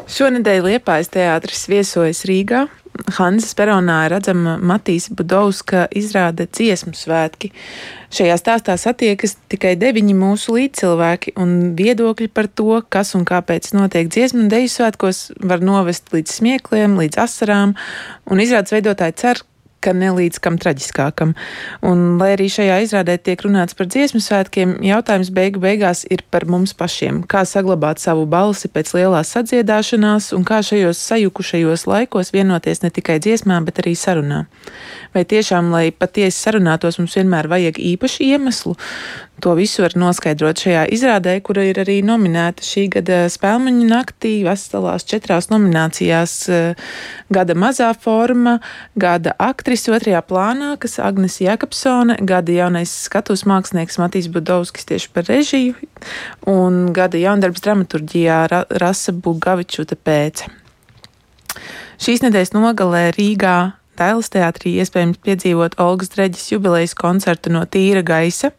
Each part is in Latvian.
Šonedēļ Liepājas teātris viesojas Rīgā. Hanzas peronā ir redzama Matīsa Budovska izrāde Dziesmu svētki. Šajā stāstā satiekas tikai 9 mūsu līdzcilvēki, un viedokļi par to, kas un kāpēc notiek dziesmu un deju svētkos, var novest līdz smiekliem, līdz asarām, un izrādes veidotāji cer, ka ne līdz kam traģiskākam. Un, lai arī šajā izrādē tiek runāts par dziesmu svētkiem, jautājums beigās ir par mums pašiem. Kā saglabāt savu balsi pēc lielās sadziedāšanās un kā šajos sajukušajos laikos vienoties ne tikai dziesmā, bet arī sarunā. Vai tiešām, lai patiesi sarunātos, mums vienmēr vajag īpašu iemeslu? To visu var noskaidrot šajā izrādē, kura ir arī nominēta šī gada Spēlmeņu naktī, veselās 4 nominācijās. Gada mazā forma, gada aktrise 2. plānā, kas Agnes Jakobsone, gada jaunais skatuves mākslinieks Matīs Budovskis tieši par režiju, un gada jaundarbs dramaturģijā Rasa Bugavičuta pēce. Šīs nedēļas nogalē Rīgā Dailes teātrī iespējams piedzīvot Olgas Dreģes jubilejas koncertu No tīra gaisa.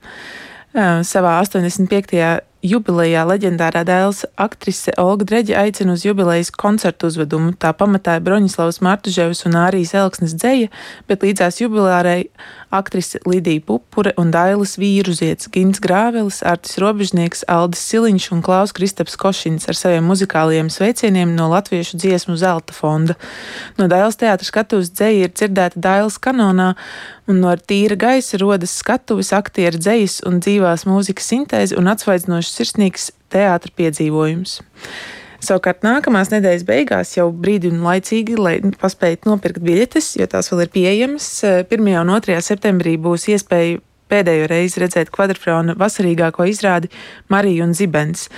Savā 85. jubilejā leģendārā Dailes aktrise Olga Dreģe aicina uz jubilejas koncertu uzvedumu. Tā pamatāja Broņislavas Martuževas un Ārijas Elksnes dzeja, bet līdzās jubilārai aktrise Lidija Pupure un Dailes vīruziets Gins Grāvelis, Artis Robežnieks, Aldis Siliņš un Klaus Kristaps Košins ar saviem muzikālajiem sveicieniem no Latviešu dziesmu zelta fonda. No Dailes teātra skatuves dzeja ir dzirdēta Dailes kanonā, un no tīra gaisa rodas skatuves, aktieru dzejas un dzīvās mūzikas sintēze un atsvaidzinošs sirsnīgs teātra piedzīvojums. Savukārt nākamās nedēļas beigās jau brīdi un laicīgi, lai paspētu nopirkt biļetes, jo tās vēl ir pieejamas. 1. un 2. septembrī būs iespēja pēdējo reizi redzēt Kvadrfrona vasarīgāko izrādi Marija un Zibens.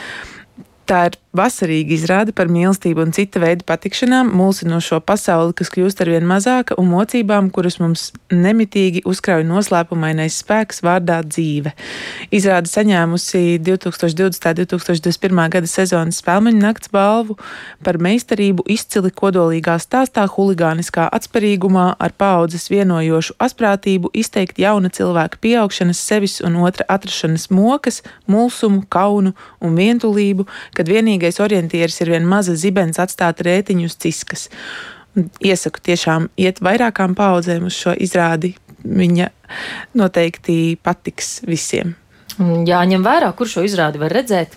Tā ir vasarīga izrāde par mīlestību un cita veida patikšanām, mulsinošo pasauli, kas kļūst arvien mazāka, un mocībām, kuras mums nemitīgi uzkrauj noslēpumainais spēks vārdā dzīve. Izrāde saņēmusi 2020. 2021. gada sezonas Spēlmeņu nakts balvu par meistarību izcili kodolīgā stāstā, huligāniskā atspērīgumā, ar paaudzes vienojošu asprātību izteikt jauna cilvēka pieaugšanas, sevis un otra atrašanas mokas, mulsumu, kaunu un vientulību, kad vienīgais orientieris ir vien maza zibens atstāt rētiņu uz ciskas. Un iesaku tiešām iet vairākām paaudzēm uz šo izrādi. Viņa noteikti patiks visiem. Jāņem vērā, kur šo izrādi var redzēt?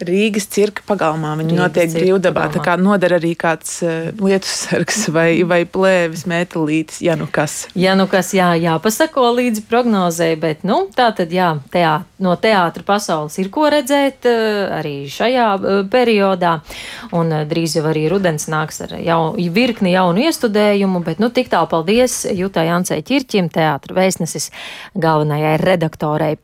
Rīgas cirka pagalmā. Viņa notiek brīvdabā, tā kā noder arī kāds lietussargs vai plēvis metālītis, ja nu kas. Ja nu kas, jāpasako līdzi prognozei, bet, tā tad, no teātra pasaules ir ko redzēt arī šajā periodā, un drīz jau arī rudens nāks ar virkni jaunu iestudējumu, bet, tik tālu paldies Jutai Ancei Ķirķim, teātra vēstneses galvenajai redaktorei.